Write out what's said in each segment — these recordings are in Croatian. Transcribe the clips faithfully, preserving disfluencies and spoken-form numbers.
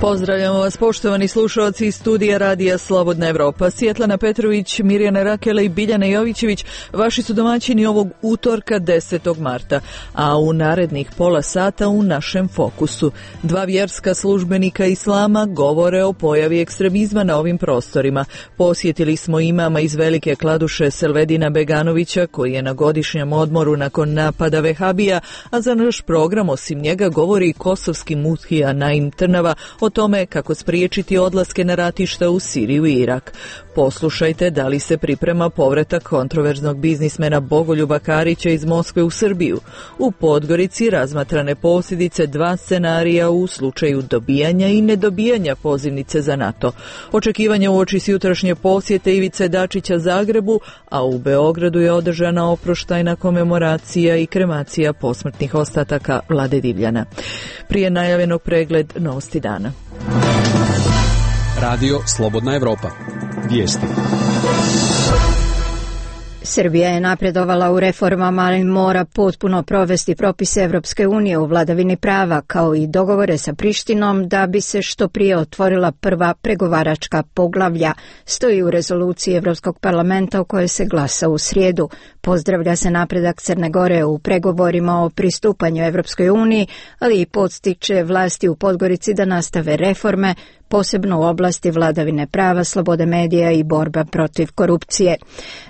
Pozdravljamo vas, poštovani slušalci iz studija Radija Slobodna Evropa. Svjetlana Petrović, Mirjana Rakela i Biljana Jovićević vaši su domaćini ovog utorka desetog marta, a u narednih pola sata u našem fokusu. Dva vjerska službenika islama govore o pojavi ekstremizma na ovim prostorima. Posjetili smo imama iz Velike Kladuše Selvedina Beganovića, koji je na godišnjem odmoru nakon napada Vehabija, a za naš program osim njega govori i kosovski muftija Naim Trnava o tome kako spriječiti odlaske na ratišta u Siriju i Irak. Poslušajte da li se priprema povratak kontroverznog biznismena Bogoljuba Karića iz Moskve u Srbiju. U Podgorici razmatrane posljedice dva scenarija u slučaju dobijanja i nedobijanja pozivnice za NATO. Očekivanja uoči s jutrašnje posjete Ivice Dačića Zagrebu, a u Beogradu je održana oproštajna komemoracija i kremacija posmrtnih ostataka Vlade Divljana. Prije najavljenog pregled novosti dana. Radio Slobodna Evropa. Vijesti. Srbija je napredovala u reformama, ali mora potpuno provesti propise Evropske unije u vladavini prava, kao i dogovore sa Prištinom da bi se što prije otvorila prva pregovaračka poglavlja, stoji u rezoluciji Evropskog parlamenta o kojoj se glasa u srijedu. Pozdravlja se napredak Crne Gore u pregovorima o pristupanju Evropskoj uniji, ali i podstiče vlasti u Podgorici da nastave reforme, posebno u oblasti vladavine prava, slobode medija i borba protiv korupcije.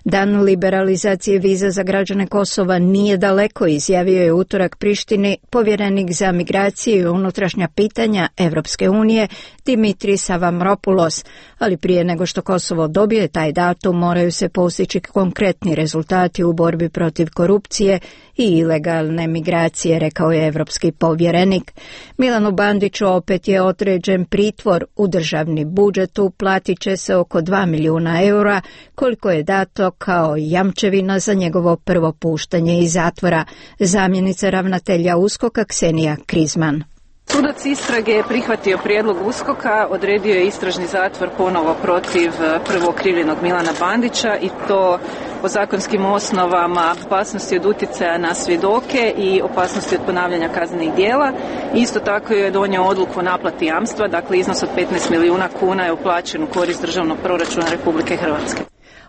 Dan liberalizacije viza za građane Kosova nije daleko, izjavio je utorak Prištini povjerenik za migraciju i unutrašnja pitanja Evropske unije Dimitris Avramopoulos, ali prije nego što Kosovo dobije taj datum moraju se postići konkretni rezultati u borbi protiv korupcije i ilegalne migracije, rekao je evropski povjerenik. Milanu Bandiću opet je određen pritvor. U državni budžet uplatit će se oko dva milijuna eura, koliko je dato kao jamčevina za njegovo prvo puštanje iz zatvora. Zamjenica ravnatelja USKOK-a Ksenija Krizman. Sudac istrage je prihvatio prijedlog USKOK-a, odredio je istražni zatvor ponovo protiv prvo okrivljenog Milana Bandića i to po zakonskim osnovama opasnosti od utjecaja na svjedoke i opasnosti od ponavljanja kaznenih djela. Isto tako je donio odluku o naplati jamstva, dakle iznos od petnaest milijuna kuna je uplaćen u korist državnog proračuna Republike Hrvatske.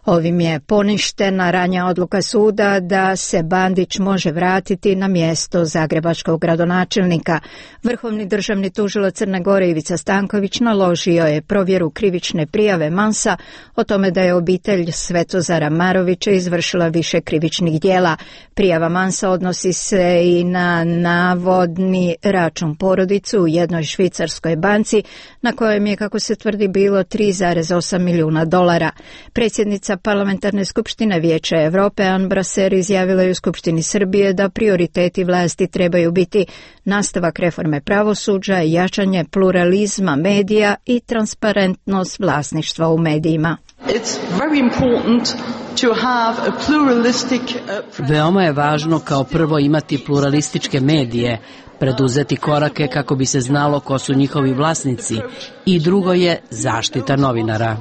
Ovim je poništena ranija odluka suda da se Bandić može vratiti na mjesto zagrebačkog gradonačelnika. Vrhovni državni tužilac Crne Gore Ivica Stanković naložio je provjeru krivične prijave Mansa o tome da je obitelj Svetozara Marovića izvršila više krivičnih djela. Prijava Mansa odnosi se i na navodni račun porodicu u jednoj švicarskoj banci na kojem je, kako se tvrdi, bilo tri zarez osam milijuna dolara. Predsjednica Parlamentarne skupštine Vijeća Europe Ann Brasser izjavila je u Skupštini Srbije da prioriteti vlasti trebaju biti nastavak reforme pravosuđa, jačanje pluralizma medija i transparentnost vlasništva u medijima. Veoma je važno kao prvo imati pluralističke medije, preduzeti korake kako bi se znalo ko su njihovi vlasnici i drugo je zaštita novinara.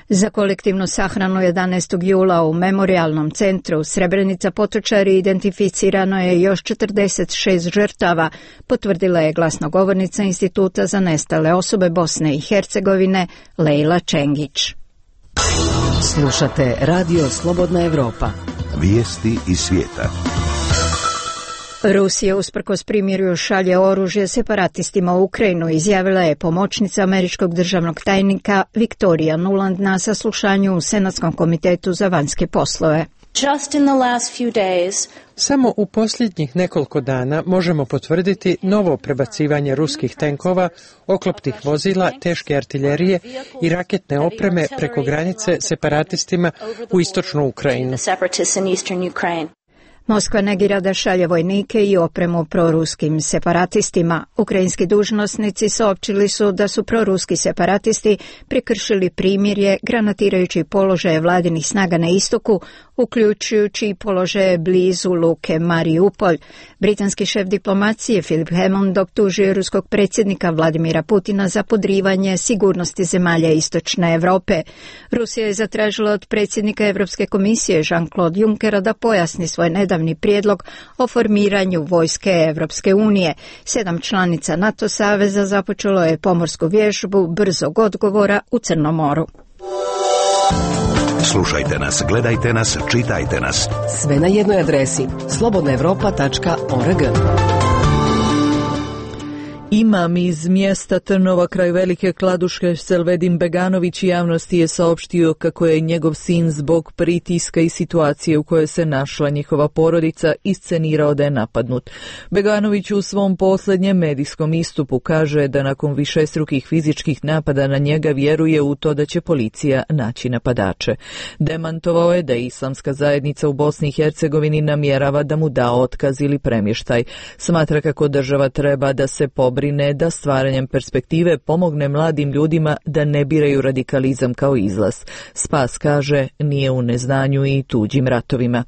Za kolektivnu sahranu jedanaestog jula u Memorijalnom centru Srebrenica Potočari identificirano je još četrdeset šest žrtava, potvrdila je glasnogovornica Instituta za nestale osobe Bosne i Hercegovine Lejla Čengić. Slušate Radio Slobodna Evropa. Vijesti iz svijeta. Rusija usprkos primirju šalje oružje separatistima u Ukrajinu, izjavila je pomoćnica američkog državnog tajnika Viktorija Nuland na saslušanju u Senatskom komitetu za vanjske poslove. Just in the last few days, Samo u posljednjih nekoliko dana možemo potvrditi novo prebacivanje ruskih tenkova, oklopnih vozila, teške artiljerije i raketne opreme preko granice separatistima u istočnu Ukrajinu. Moskva negira da šalje vojnike i opremu proruskim separatistima. Ukrajinski dužnosnici saopćili su da su proruski separatisti prekršili primirje granatirajući položaje vladinih snaga na istoku, uključujući i položaje blizu luke Mariupolj. Britanski šef diplomacije Philip Hammond optužio ruskog predsjednika Vladimira Putina za podrivanje sigurnosti zemalja istočne Europe. Rusija je zatražila od predsjednika Europske komisije Jean-Claude Junckera da pojasni svoj nedavni ustavni prijedlog o formiranju vojske Evropske unije. Sedam članica NATO saveza započelo je pomorsku vježbu brzog odgovora u Crnom moru. Slušajte nas, gledajte nas, čitajte nas. Sve na jednoj adresi slobodna europa tačka org. Imam iz mjesta Trnova kraj Velike Kladuše Selvedin Beganović javnosti je saopštio kako je njegov sin zbog pritiska i situacije u kojoj se našla njihova porodica iscenirao da je napadnut. Beganović u svom posljednjem medijskom istupu kaže da nakon višestrukih fizičkih napada na njega vjeruje u to da će policija naći napadače. Demantovao je da islamska zajednica u Bosni i Hercegovini namjerava da mu da otkaz ili premještaj. Smatra kako država treba da se pobrine brine da stvaranjem perspektive pomogne mladim ljudima da ne biraju radikalizam kao izlaz. Spas, kaže, nije u neznanju i tuđim ratovima.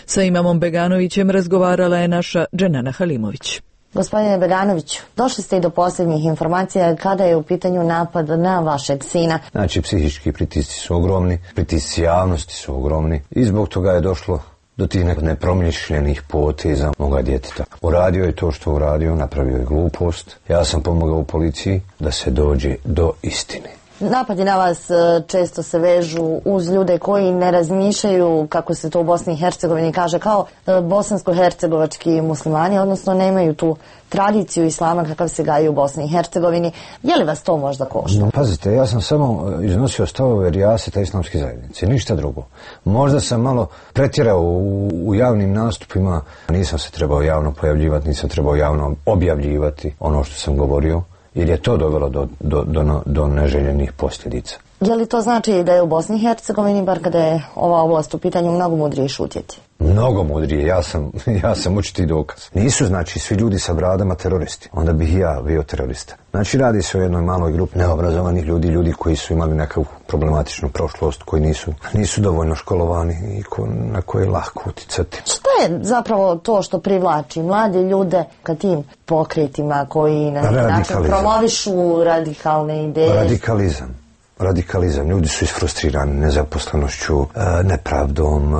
Sa imamom Beganovićem razgovarala je naša Dženana Halimović. Gospodine Beganoviću, došli ste i do posljednjih informacija kada je u pitanju napad na vašeg sina. Znači, psihički pritisci su ogromni, pritisci javnosti su ogromni i zbog toga je došlo do tih nepromišljenih poteza moga djeteta. Uradio je to što uradio, napravio je glupost. Ja sam pomogao u policiji da se dođe do istine. Napadi na vas često se vežu uz ljude koji ne razmišljaju, kako se to u Bosni i Hercegovini kaže, kao bosansko-hercegovački muslimani, odnosno nemaju tu tradiciju islama kakav se gaji u Bosni i Hercegovini. Je li vas to možda košta? No, pazite, ja sam samo iznosio stavove rijaseta islamske zajednice, ništa drugo. Možda sam malo pretjerao u, u javnim nastupima, nisam se trebao javno pojavljivati, nisam trebao javno objavljivati ono što sam govorio, jer je to dovelo do, do, do, do neželjenih posljedica. Je li to znači da je u Bosni i Hercegovini, bar kada je ova oblast u pitanju, mnogo mudrije šutjeti? Mnogo mudrije, ja sam, ja sam učiti dokaz. Nisu, znači, svi ljudi sa bradama teroristi. Onda bih i ja bio terorista. Znači, radi se o jednoj maloj grupi neobrazovanih ljudi, ljudi koji su imali nekakvu problematičnu prošlost, koji nisu, nisu dovoljno školovani i ko, na koje je lako uticati. Šta je zapravo to što privlači mlade ljude ka tim pokretima koji na način promovišu radikalne ideje? Radikalizam. Radikalizam. Ljudi su isfrustrirani nezaposlenošću, nepravdom,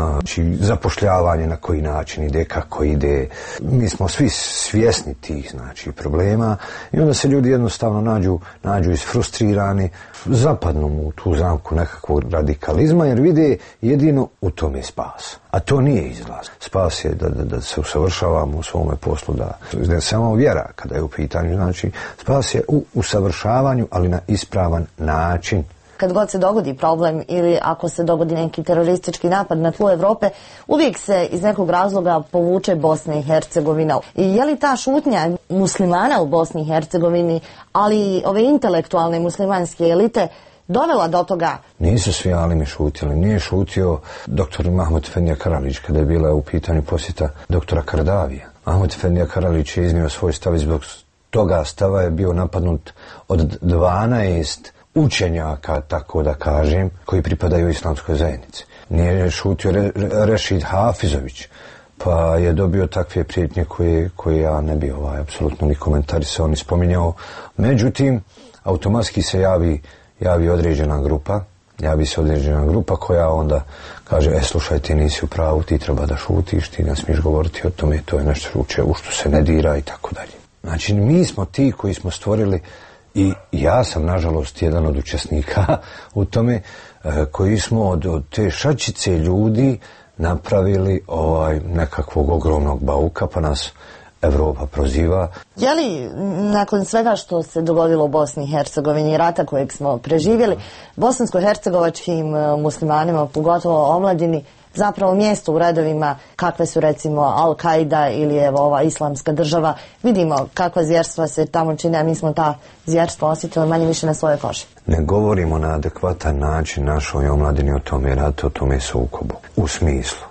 zapošljavanje na koji način ide, kako ide. Mi smo svi svjesni tih, znači, problema i onda se ljudi jednostavno nađu, nađu isfrustrirani, zapadnu u tu zamku nekakvog radikalizma jer vide jedino u tome spas. A to nije izlaz. Spas je da, da, da se usavršavamo u svome poslu, da ne samo vjera kada je u pitanju, znači spas je u usavršavanju, ali na ispravan način. Kad god se dogodi problem ili ako se dogodi neki teroristički napad na tlu Evrope, uvijek se iz nekog razloga povuče Bosna i Hercegovina. I je li ta šutnja muslimana u Bosni i Hercegovini, ali ove intelektualne muslimanske elite, dovela do toga? Nisu svi alimi šutili. Nije šutio doktor Mahmud Efendija Karalić kada je bila u pitanju posjeta doktora Kardavija. Mahmud Efendija Karalić je iznio svoj stav i zbog toga stava je bio napadnut od dvanaest učenjaka, tako da kažem, koji pripadaju islamskoj zajednici. Nije šutio Re, Rešid Hafizović, pa je dobio takve prijetnje koje, koje ja ne bi ovaj, apsolutno ni komentarisao, ni spominjao. Međutim, automatski se javi, javi određena grupa, javi se određena grupa koja onda kaže, e, slušaj, ti nisi u pravu, ti treba da šutiš, ti ne smiješ govoriti o tome, to je nešto u što se ne dira i tako dalje. Znači, mi smo ti koji smo stvorili. I ja sam, nažalost, jedan od učesnika u tome, koji smo od, od te šačice ljudi napravili ovaj nekakvog ogromnog bauka, pa nas Evropa proziva. Je li nakon svega što se dogodilo u Bosni i Hercegovini, rata kojeg smo preživjeli, bosansko-hercegovačkim muslimanima, pogotovo omladini, zapravo mjesto u redovima kakve su recimo Al-Qaida ili evo ova islamska država, vidimo kakva zvjerstva se tamo čine, a mi smo ta zvjerstva osjetili manje više na svojoj koži. Ne govorimo na adekvatan način našoj omladini o tome ratu, o tome sukobu. U smislu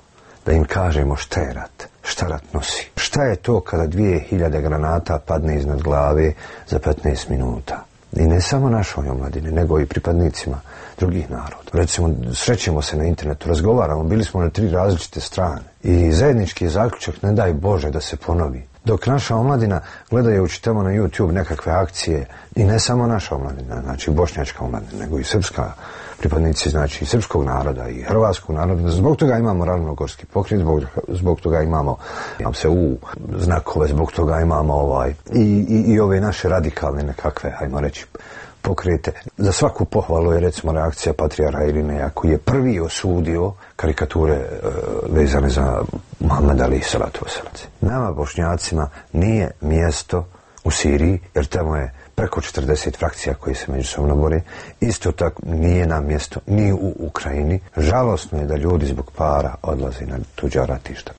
da im kažemo šta je rat, šta rat nosi. Šta je to kada dvije hiljade granata padne iznad glave za petnaest minuta. I ne samo našoj omladini, nego i pripadnicima drugih naroda. Recimo, srećemo se na internetu, razgovaramo, bili smo na tri različite strane. I zajednički zaključak, ne daj Bože da se ponovi. Dok naša omladina, gledajući tamo na YouTube nekakve akcije, i ne samo naša omladina, znači bošnjačka omladina, nego i srpska pripadnici, znači i srpskog naroda i hrvatskog naroda, zbog toga imamo Ravnogorski pokret, zbog, zbog toga imamo imam se u znakove, zbog toga imamo ovaj i, i, i ove naše radikalne nekakve, hajmo reći, pokrete. Za svaku pohvalu je recimo reakcija patrijarha Irineja koji je prvi osudio karikature e, vezane za Muhammed Ali salatu vesselam. Nama Bošnjacima nije mjesto u Siriji, jer tamo je preko četrdeset frakcija koji se međusobno bore. Isto tako nije nam mjesto ni u Ukrajini. Žalosno je da ljudi zbog para odlaze na tuđa ratišta.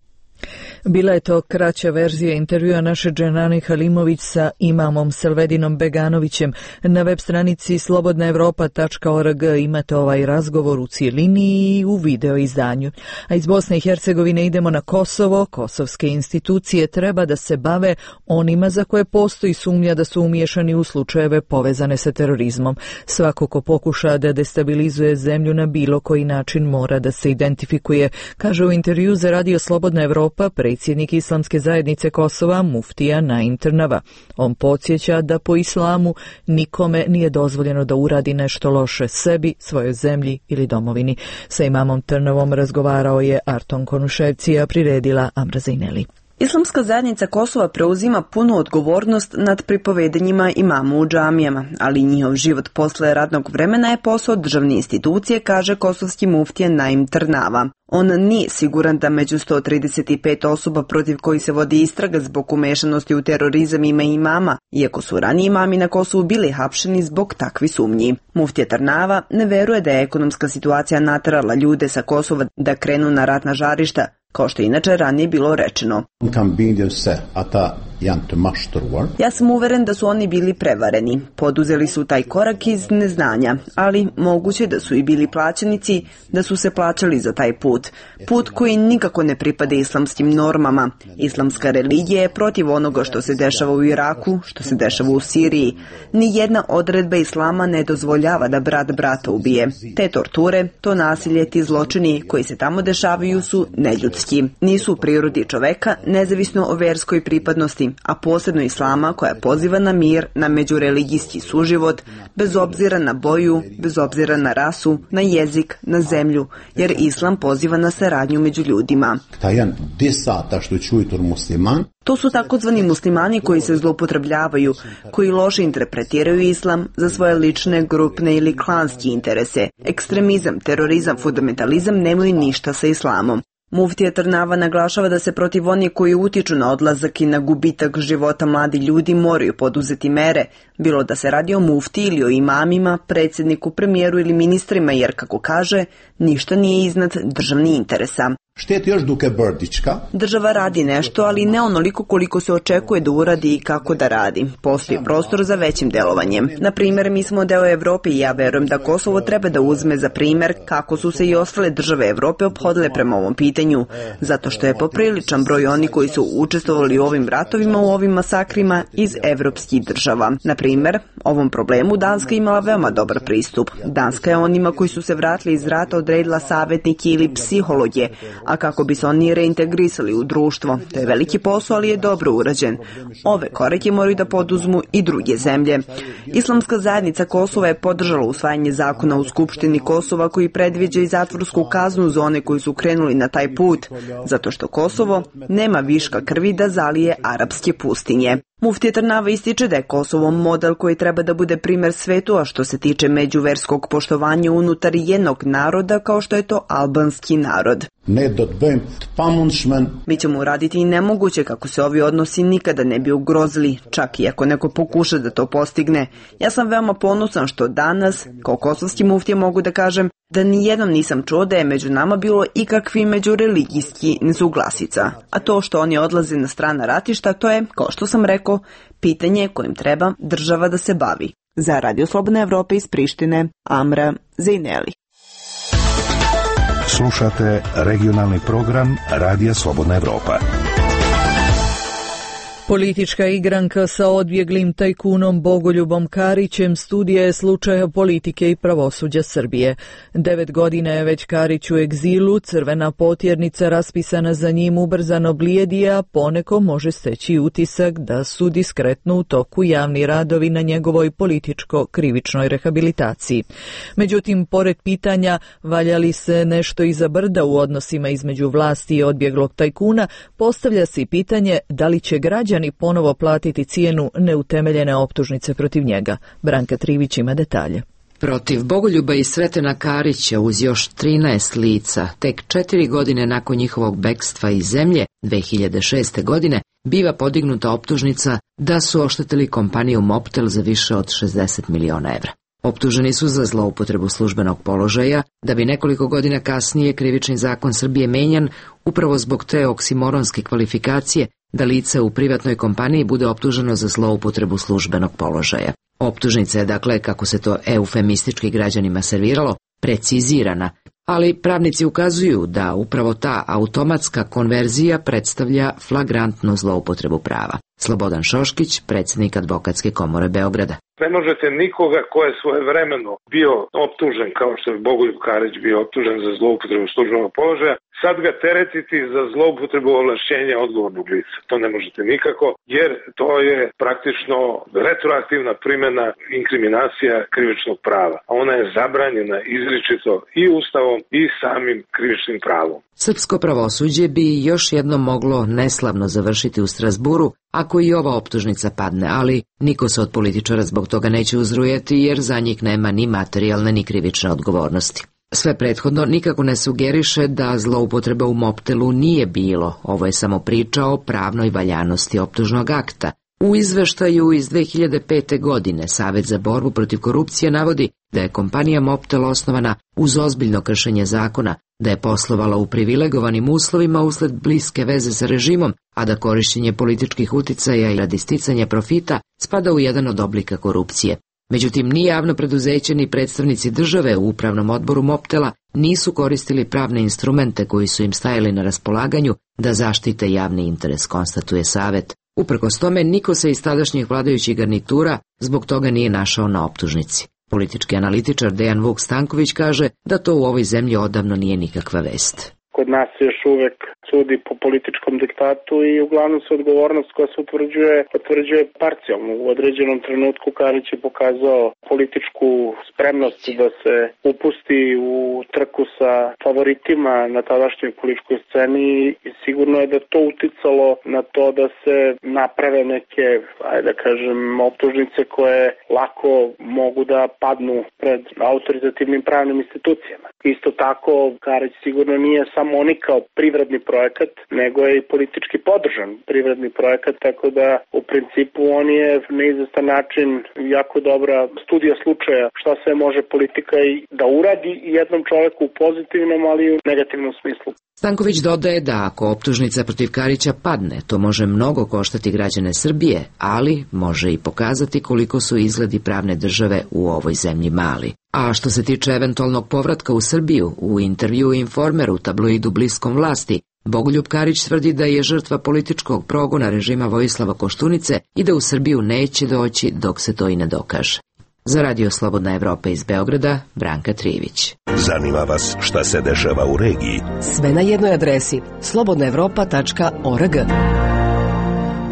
Bila je to kraća verzija intervjua naše Dženani Halimović sa imamom Selvedinom Beganovićem. Na web stranici slobodna evropa tačka org imate ovaj razgovor u cijelini i u video izdanju. A iz Bosne i Hercegovine idemo na Kosovo. Kosovske institucije treba da se bave onima za koje postoji sumnja da su umiješani u slučajeve povezane sa terorizmom. Svako ko pokuša da destabilizuje zemlju na bilo koji način mora da se identifikuje, kaže u intervju za Radio Slobodna Evropa predsjednik Islamske zajednice Kosova muftija Naim Trnava. On podsjeća da po islamu nikome nije dozvoljeno da uradi nešto loše sebi, svojoj zemlji ili domovini. Sa imamom Trnavom razgovarao je Arton Konuševci, a priredila Amra Zajneli. Islamska zajednica Kosova preuzima punu odgovornost nad pripovedanjima imamu u džamijama, ali njihov život posle radnog vremena je posao državne institucije, kaže kosovski muftija Naim Trnava. On nije siguran da među sto trideset pet osoba protiv koji se vodi istraga zbog umešanosti u terorizam ima imama, iako su raniji imami na Kosovu bili hapšeni zbog takvi sumnji. Muftija Trnava ne veruje da je ekonomska situacija naterala ljude sa Kosova da krenu na ratna žarišta, kao što je inače ranije bilo rečeno. Ja sam uveren da su oni bili prevareni. Poduzeli su taj korak iz neznanja, ali moguće da su i bili plaćenici, da su se plaćali za taj put. Put koji nikako ne pripada islamskim normama. Islamska religija je protiv onoga što se dešava u Iraku, što se dešava u Siriji. Nijedna odredba islama ne dozvoljava da brat brata ubije. Te torture, to nasilje, ti zločini koji se tamo dešavaju su neljudski. Nisu u prirodi čoveka, nezavisno o verskoj pripadnosti, a posebno islama koja poziva na mir, na međureligijski suživot, bez obzira na boju, bez obzira na rasu, na jezik, na zemlju, jer islam poziva na saradnju među ljudima. To su takozvani muslimani koji se zloupotrebljavaju, koji loše interpretiraju islam za svoje lične, grupne ili klanske interese. Ekstremizam, terorizam, fundamentalizam nemaju ništa sa islamom. Muftija Trnava naglašava da se protiv onih koji utiču na odlazak i na gubitak života mladi ljudi moraju poduzeti mere, bilo da se radi o mufti ili o imamima, predsjedniku, premijeru ili ministrima, jer, kako kaže, ništa nije iznad državnih interesa. Država radi nešto, ali ne onoliko koliko se očekuje da uradi i kako da radi. Postoji prostor za većim delovanjem. Na primjer, mi smo deo Evrope i ja verujem da Kosovo treba da uzme za primjer kako su se i ostale države Evrope ophodile prema ovom pitanju, zato što je popriličan broj oni koji su učestvovali u ovim ratovima, u ovim masakrima iz evropskih država. Na primjer, ovom problemu Danska imala veoma dobar pristup. Danska je onima koji su se vratili iz rata odredila savjetnike ili psihologe, a kako bi se oni reintegrisali u društvo. To je veliki posao, ali je dobro urađen. Ove korake moraju da poduzmu i druge zemlje. Islamska zajednica Kosova je podržala usvajanje zakona u Skupštini Kosova koji predviđa i zatvorsku kaznu za one koji su krenuli na taj put, zato što Kosovo nema viška krvi da zalije arapske pustinje. Muftija Trnava ističe da je Kosovo model koji treba da bude primjer svetu, a što se tiče međuverskog poštovanja unutar jednog naroda kao što je to albanski narod. Mi ćemo uraditi i nemoguće kako se ovi odnosi nikada ne bi ugrozili, čak i ako neko pokuša da to postigne. Ja sam veoma ponosan što danas, kao kosovski muftija, mogu da kažem da nijednom nisam čuo da je među nama bilo ikakvi međureligijski nesuglasica. A to što oni odlaze na strana ratišta, to je, kao što sam rekao, pitanje kojim treba država da se bavi. Za Radio Slobodna Evropa iz Prištine, Amra Zajneli. Slušate regionalni program Radija Slobodna Evropa. Politička igranka sa odbjeglim tajkunom Bogoljubom Karićem studija je slučaja politike i pravosuđa Srbije. Devet godina je već Karić u egzilu, crvena potjernica raspisana za njim ubrzano blijedi, a poneko može steći utisak da su diskretno u toku javni radovi na njegovoj političko-krivičnoj rehabilitaciji. Međutim, pored pitanja valja li se nešto iza brda u odnosima između vlasti i odbjeglog tajkuna, postavlja se i pitanje da li će građani ponovo platiti cijenu neutemeljene optužnice protiv njega. Branka Trivić ima detalje. Protiv Bogoljuba i Sretena Karića uz još trinaest lica, tek četiri godine nakon njihovog bekstva iz zemlje, dve hiljade šeste. godine, biva podignuta optužnica da su oštetili kompaniju Mobtel za više od šezdeset miliona evra. Optuženi su za zloupotrebu službenog položaja, da bi nekoliko godina kasnije krivični zakon Srbije menjan upravo zbog te oksimoronske kvalifikacije da lice u privatnoj kompaniji bude optuženo za zloupotrebu službenog položaja. Optužnica je, dakle, kako se to eufemistički građanima serviralo, precizirana, ali pravnici ukazuju da upravo ta automatska konverzija predstavlja flagrantnu zloupotrebu prava. Slobodan Šoškić, predsjednik Advokatske komore Beograda. Ne možete nikoga ko je svojevremeno bio optužen, kao što je Bogoljub Karić bio optužen za zloupotrebu službenog položaja, sad ga teretiti za zloupotrebu ovlašćenja odgovornog lica. To ne možete nikako, jer to je praktično retroaktivna primjena inkriminacija krivičnog prava. A ona je zabranjena izričito i Ustavom i samim krivičnim pravom. Srpsko pravosuđe bi još jednom moglo neslavno završiti u Strasburu ako i ova optužnica padne, ali niko se od političara zbog toga neće uzrujeti jer za njih nema ni materijalne ni krivične odgovornosti. Sve prethodno nikako ne sugeriše da zloupotreba u Mobtelu nije bilo, ovo je samo priča o pravnoj valjanosti optužnog akta. U izveštaju iz dve hiljade pete. godine Savet za borbu protiv korupcije navodi da je kompanija Mobtel osnovana uz ozbiljno kršenje zakona, da je poslovala u privilegovanim uslovima usled bliske veze sa režimom, a da korištenje političkih uticaja i radi sticanja profita spada u jedan od oblika korupcije. Međutim, ni javno preduzeće ni predstavnici države u upravnom odboru Mobtela nisu koristili pravne instrumente koji su im stajali na raspolaganju da zaštite javni interes, konstatuje Savet. Uprkos tome, niko se iz tadašnjih vladajućih garnitura zbog toga nije našao na optužnici. Politički analitičar Dejan Vuk Stanković kaže da to u ovoj zemlji odavno nije nikakva vest. Kod nas se još uvek sudi po političkom diktatu i uglavnom se odgovornost koja se utvrđuje, potvrđuje parcijalno. U određenom trenutku Karić je pokazao političku spremnost da se upusti u trku sa favoritima na tadašnjoj političkoj sceni i sigurno je da to uticalo na to da se naprave neke, ajde da kažem, optužnice koje lako mogu da padnu pred autoritativnim pravnim institucijama. Isto tako, Karić sigurno nije samo oni kao privredni projekat, nego je i politički podržan privredni projekat, tako da u principu on je na izvestan način jako dobra studija slučaja šta sve može politika i da uradi jednom čoveku u pozitivnom, ali i u negativnom smislu. Stanković dodaje da ako optužnica protiv Karića padne, to može mnogo koštati građane Srbije, ali može i pokazati koliko su izgledi pravne države u ovoj zemlji mali. A što se tiče eventualnog povratka u Srbiju, u intervju Informeru, tabloidu bliskom vlasti, Bogoljub Karić tvrdi da je žrtva političkog progona režima Vojislava Koštunice i da u Srbiju neće doći dok se to i ne dokaže. Za Radio Slobodna Evropa iz Beograda, Branka Trivić. Zanima vas šta se dešava u regiji? Sve na jednoj adresi slobodna evropa tačka org.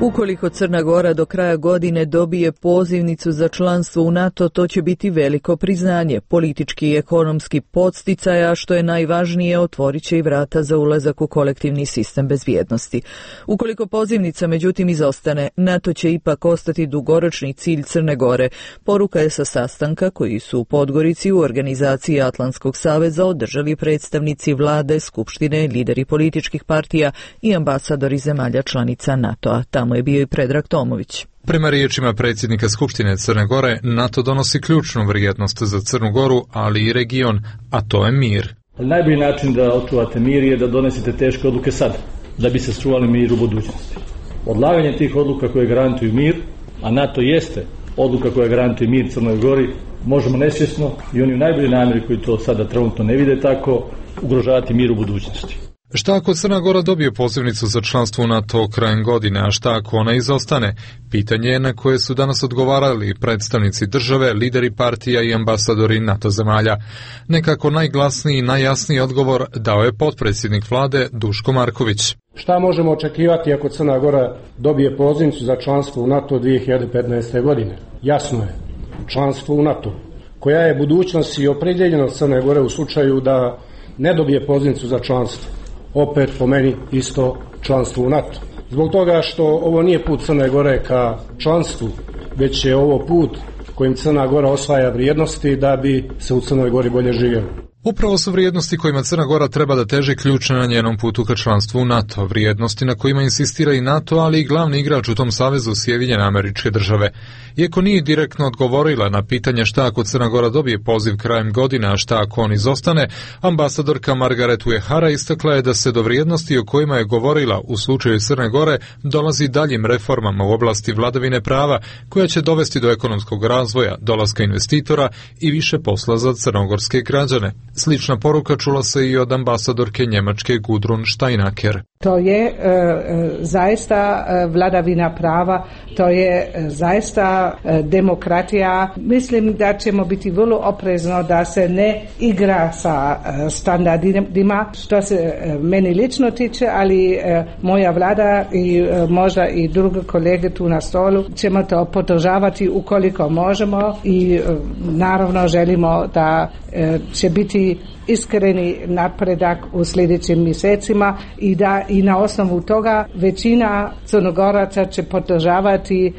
Ukoliko Crna Gora do kraja godine dobije pozivnicu za članstvo u NATO, to će biti veliko priznanje, politički i ekonomski podsticaj, a što je najvažnije, otvorit će i vrata za ulazak u kolektivni sistem bezbjednosti. Ukoliko pozivnica međutim izostane, NATO će ipak ostati dugoročni cilj Crne Gore. Poruka je sa sastanka koji su u Podgorici u organizaciji Atlantskog saveza održali predstavnici vlade, skupštine, lideri političkih partija i ambasadori zemalja članica NATO-a. Tamo je bio i Predrag Tomović. Prema riječima predsjednika Skupštine Crne Gore, NATO donosi ključnu vrijednost za Crnu Goru, ali i region, a to je mir. Najbolji način da očuvate mir je da donesete teške odluke sad, da bi se sačuvali mir u budućnosti. Odlaganje tih odluka koje garantuju mir, a NATO jeste odluka koja garantuje mir Crnoj Gori, možemo nesvjesno i oni u najboljoj namjeri koji to sada trenutno ne vide tako, ugrožavati mir u budućnosti. Šta ako Crna Gora dobije pozivnicu za članstvo u NATO krajem godine, a šta ako ona izostane? Pitanje je na koje su danas odgovarali predstavnici države, lideri partija i ambasadori NATO zemalja. Nekako najglasniji i najjasniji odgovor dao je potpredsjednik vlade Duško Marković. Šta možemo očekivati ako Crna Gora dobije pozivnicu za članstvo u NATO dvije hiljade petnaeste. godine? Jasno je, članstvo u NATO. Koja je budućnost i opredjeljenost Crne Gore u slučaju da ne dobije pozivnicu za članstvo? Opet po meni isto članstvo u NATO. Zbog toga što ovo nije put Crne Gore ka članstvu, već je ovo put kojim Crna Gora osvaja vrijednosti da bi se u Crnoj Gori bolje živjelo. Upravo su vrijednosti kojima Crna Gora treba da teži ključne na njenom putu ka članstvu u NATO, vrijednosti na kojima insistira i NATO, ali i glavni igrač u tom savezu Sjedinjene Američke Države. Iako nije direktno odgovorila na pitanje šta ako Crna Gora dobije poziv krajem godine, a šta ako on izostane, ambasadorka Margaret Uehara istakla je da se do vrijednosti o kojima je govorila u slučaju Crne Gore dolazi daljim reformama u oblasti vladavine prava, koja će dovesti do ekonomskog razvoja, dolaska investitora i više posla za crnogorske građane. Slična poruka čula se i od ambasadorke Njemačke Gudrun Steinacker. To je e, zaista vladavina prava, to je zaista e, demokratija. Mislim da ćemo biti vrlo oprezno da se ne igra sa e, standardima, što se e, meni lično tiče, ali e, moja vlada i e, možda i druge kolege tu na stolu ćemo to podržavati ukoliko možemo i e, naravno želimo da e, će biti iskreni napredak u sljedećim mjesecima i da i na osnovu toga većina Crnogoraca će podržavati e,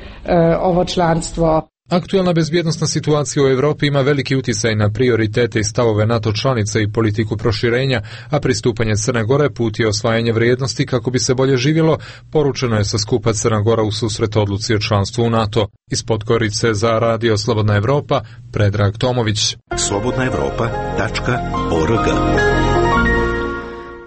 ovo članstvo. Aktualna bezbjednosna situacija u Europi ima veliki utjecaj na prioritete i stavove NATO članice i politiku proširenja, a pristupanje Crne Gore put je osvajanje vrijednosti kako bi se bolje živjelo, poručeno je sa skupa Crna Gora u susret odluci o članstvu u NATO. Iz Podgorice za Radio Slobodna Evropa, Predrag Tomović. slobodna evropa tačka org.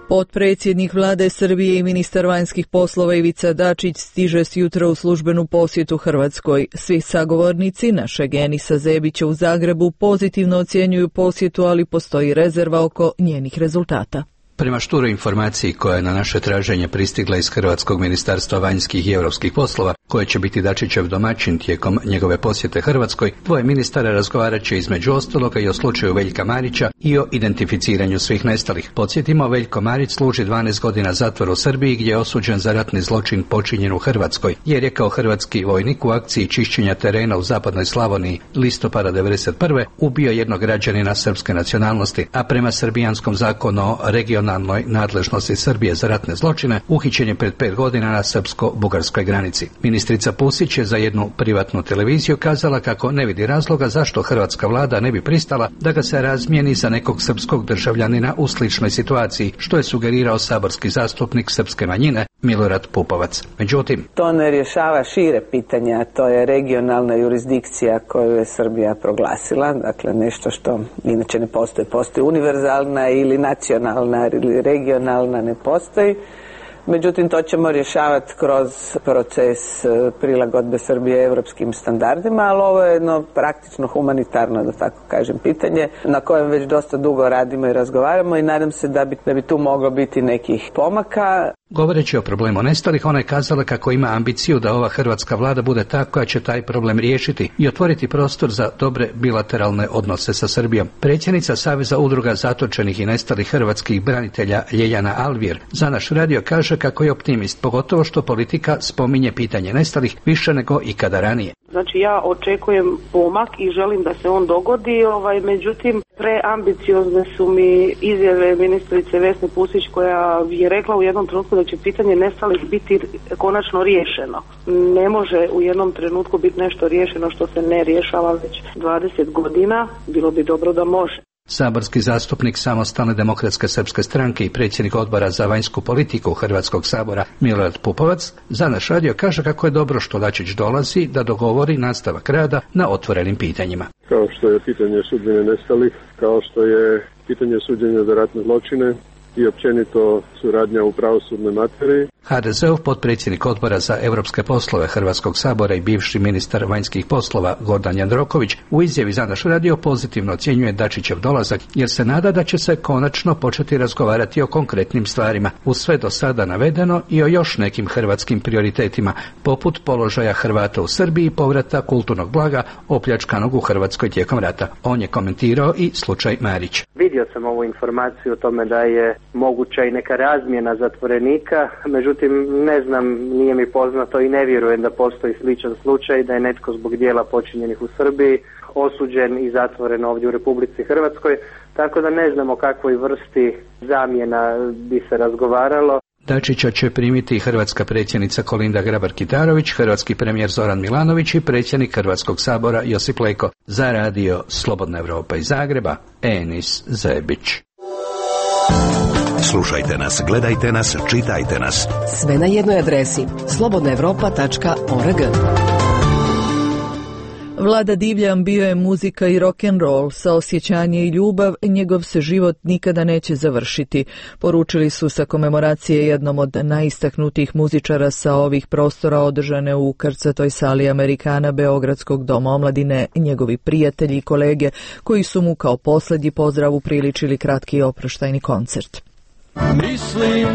Potpredsjednik vlade Srbije i ministar vanjskih poslova Ivica Dačić stiže sjutra u službenu posjetu Hrvatskoj. Svi sagovornici našeg Enisa Zebića u Zagrebu pozitivno ocjenjuju posjetu, ali postoji rezerva oko njenih rezultata. Prema šturoj informaciji koja je na naše traženje pristigla iz Hrvatskog ministarstva vanjskih i europskih poslova, koje će biti Dačićev domaćin tijekom njegove posjete Hrvatskoj, dvoje ministara razgovarat će između ostaloga i o slučaju Veljka Marića i o identificiranju svih nestalih. Podsjetimo, Veljko Marić služi dvanaest godina zatvora u Srbiji gdje je osuđen za ratni zločin počinjen u Hrvatskoj, jer je kao hrvatski vojnik u akciji čišćenja terena u zapadnoj Slavoniji listopada devedeset prve ubio jednog građanina srpske nacionalnosti, a prema srbijanskom zakonu o regionalnoj nadležnosti Srbije za ratne zločine uhićen je pred pet godina na srpsko-bugarskoj granici. Ministrica Pusić je za jednu privatnu televiziju kazala kako ne vidi razloga zašto hrvatska vlada ne bi pristala da ga se razmijeni za nekog srpskog državljanina u sličnoj situaciji, što je sugerirao saborski zastupnik srpske manjine Milorad Pupovac. Međutim, to ne rješava šire pitanja, to je regionalna jurisdikcija koju je Srbija proglasila, dakle nešto što inače ne postoji. Postoji univerzalna ili nacionalna ili regionalna, ne postoji. Međutim, to ćemo rješavati kroz proces prilagodbe Srbije europskim standardima, ali ovo je jedno praktično humanitarno, da tako kažem, pitanje na kojem već dosta dugo radimo i razgovaramo i nadam se da bi, da bi tu moglo biti nekih pomaka. Govoreći o problemu nestalih, ona je kazala kako ima ambiciju da ova hrvatska vlada bude ta koja će taj problem riješiti i otvoriti prostor za dobre bilateralne odnose sa Srbijom. Predsjednica Saveza udruga zatočenih i nestalih hrvatskih branitelja Ljeljana Alvir za naš radio kaže kako je optimist, pogotovo što politika spominje pitanje nestalih više nego ikada ranije. Znači ja očekujem pomak i želim da se on dogodi, ovaj, međutim preambiciozne su mi izjave ministrice Vesne Pusić koja je rekla u jednom trenutku da će pitanje nestalih biti konačno riješeno. Ne može u jednom trenutku biti nešto riješeno što se ne rješava već dvadeset godina, bilo bi dobro da može. Saborski zastupnik Samostalne demokratske srpske stranke i predsjednik odbora za vanjsku politiku Hrvatskog sabora Milorad Pupovac za naš radio kaže kako je dobro što Dačić dolazi da dogovori nastavak rada na otvorenim pitanjima. Kao što je pitanje sudbine nestalih, kao što je pitanje suđenja za ratne zločine, i općenito suradnja u pravosudnoj materiji. ha de ze-ov potpredsjednik odbora za europske poslove Hrvatskog sabora i bivši ministar vanjskih poslova Gordan Jandroković u izjavi za naš radio pozitivno ocjenjuje Dačićev dolazak jer se nada da će se konačno početi razgovarati o konkretnim stvarima uz sve do sada navedeno i o još nekim hrvatskim prioritetima poput položaja Hrvata u Srbiji i povrata kulturnog blaga opljačkanog u Hrvatskoj tijekom rata. On je komentirao i slučaj Marić. Vidio sam ovu informaciju o tome da je moguća i neka razmjena zatvorenika, međutim ne znam, nije mi poznato i ne vjerujem da postoji sličan slučaj da je netko zbog dijela počinjenih u Srbiji osuđen i zatvoren ovdje u Republici Hrvatskoj, tako da ne znam o kakvoj vrsti zamjena bi se razgovaralo. Dačića će primiti hrvatska predsjednica Kolinda Grabar-Kitarović, hrvatski premijer Zoran Milanović i predsjednik Hrvatskog sabora Josip Leko. Za radio Slobodna Evropa iz Zagreba, Enis Zebić. Slušajte nas, gledajte nas, čitajte nas. Sve na jednoj adresi slobodna evropa tačka org. Vlada Divljan bio je muzika i rock'n'roll, saosjećanje i ljubav, njegov se život nikada neće završiti. Poručili su sa komemoracije jednom od najistaknutijih muzičara sa ovih prostora održane u krcatoj sali Amerikana Beogradskog doma omladine, njegovi prijatelji i kolege koji su mu kao posljednji pozdrav upriličili kratki i oproštajni koncert. Mislim,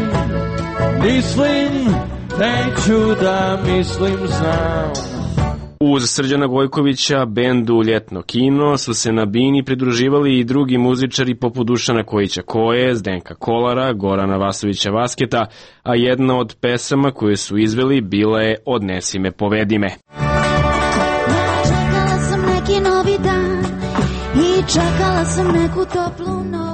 mislim, neću da mislim znam. Uz Srđana Gojkovića, bendu Ljetno kino, su se na bini pridruživali i drugi muzičari poput Dušana Kojića Koje, Zdenka Kolara, Gorana Vasovića Vasketa, a jedna od pesama koje su izveli bila je Odnesi me, povedi me. Čekala sam neki novi dan i čekala sam neku toplu noć.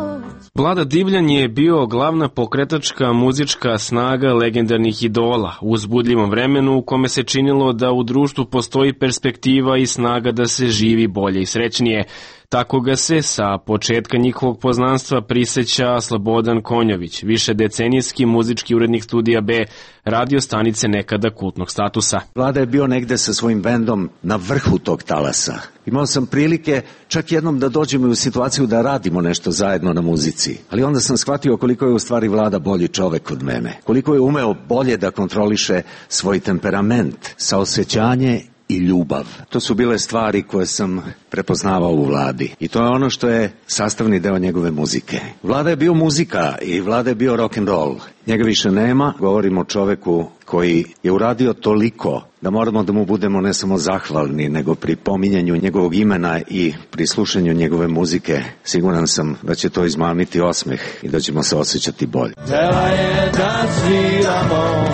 Vlada Divljan je bio glavna pokretačka muzička snaga legendarnih idola u uzbudljivom vremenu u kome se činilo da u društvu postoji perspektiva i snaga da se živi bolje i srećnije. Tako ga se sa početka njihovog poznanstva priseća Slobodan Konjović, višedecenijski muzički urednik Studija B, radio stanice nekada kultnog statusa. Vlada je bio negde sa svojim bendom na vrhu tog talasa. Imao sam prilike čak jednom da dođemo u situaciju da radimo nešto zajedno na muzici. Ali onda sam shvatio koliko je u stvari Vlada bolji čovek od mene. Koliko je umeo bolje da kontroliše svoj temperament, saosećanje i ljubav. To su bile stvari koje sam prepoznavao u Vladi. I to je ono što je sastavni deo njegove muzike. Vlada je bio muzika i Vlada je bio rock and roll. Njega više nema. Govorimo o čoveku koji je uradio toliko da moramo da mu budemo ne samo zahvalni, nego pri pominjanju njegovog imena i pri slušanju njegove muzike siguran sam da će to izmamiti osmeh i da ćemo se osjećati bolje. Htela je da sviramo,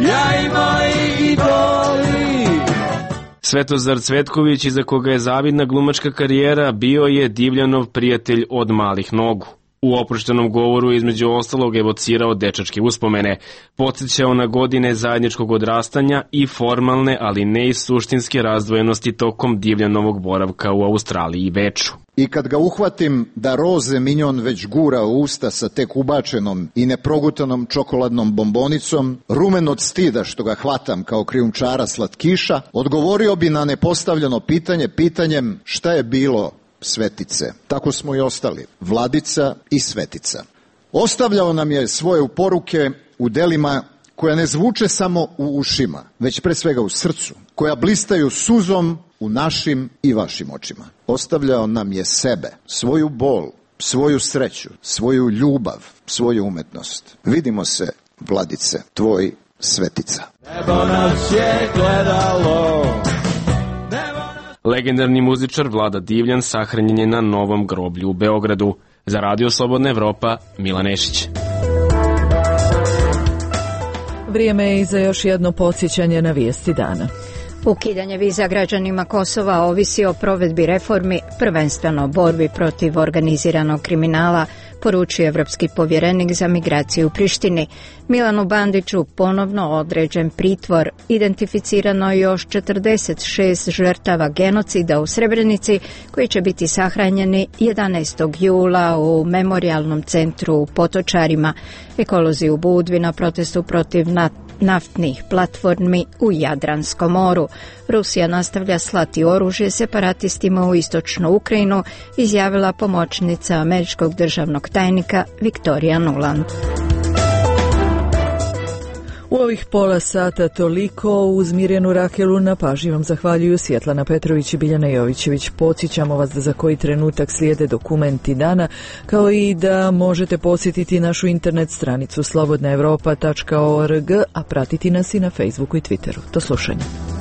ja i moji idoli. Svetozar Cvetković, iza koga je zavidna glumačka karijera, bio je Divljanov prijatelj od malih nogu. U oproštenom govoru između ostalog evocirao dečačke uspomene, podsjećao na godine zajedničkog odrastanja i formalne, ali ne i suštinske razdvojenosti tokom Divljanovog boravka u Australiji i Beču. I kad ga uhvatim da roze minjon već gura u usta sa tek ubačenom i neprogutanom čokoladnom bombonicom, rumen od stida što ga hvatam kao krijumčara slatkiša, odgovorio bi na nepostavljeno pitanje pitanjem šta je bilo Svetice. Tako smo i ostali, Vladica i Svetica. Ostavljao nam je svoje poruke u delima koja ne zvuče samo u ušima, već pre svega u srcu, koja blistaju suzom u našim i vašim očima. Ostavljao nam je sebe, svoju bol, svoju sreću, svoju ljubav, svoju umetnost. Vidimo se, Vladice, tvoj Svetica. Nebo nas je gledalo. Legendarni muzičar Vlada Divljan sahranjen je na novom groblju u Beogradu. Za radio Slobodna Evropa, Milan Nešić. Vrijeme je i za još jedno podsjećanje na vijesti dana. Ukidanje viza građanima Kosova ovisi o provedbi reformi, prvenstveno borbi protiv organiziranog kriminala, poručuje evropski povjerenik za migraciju u Prištini. Milanu Bandiću ponovno određen pritvor. Identificirano je još četrdeset šest žrtava genocida u Srebrenici koji će biti sahranjeni jedanaestog jula u memorijalnom centru u Potočarima. Ekolozi u Budvi na protestu protiv naftnih platformi u Jadranskom moru. Rusija nastavlja slati oružje separatistima u istočnu Ukrajinu, izjavila pomoćnica američkog državnog tajnika Viktorija Nuland. U ovih pola sata toliko. Uz Mirjanu Rakelu na pažnji vam zahvaljuju Svjetlana Petrović i Biljana Jovićević. Podsjećamo vas da za koji trenutak slijede dokumenti dana, kao i da možete posjetiti našu internet stranicu slobodna europa tačka org, a pratiti nas i na Facebooku i Twitteru. Do slušanja.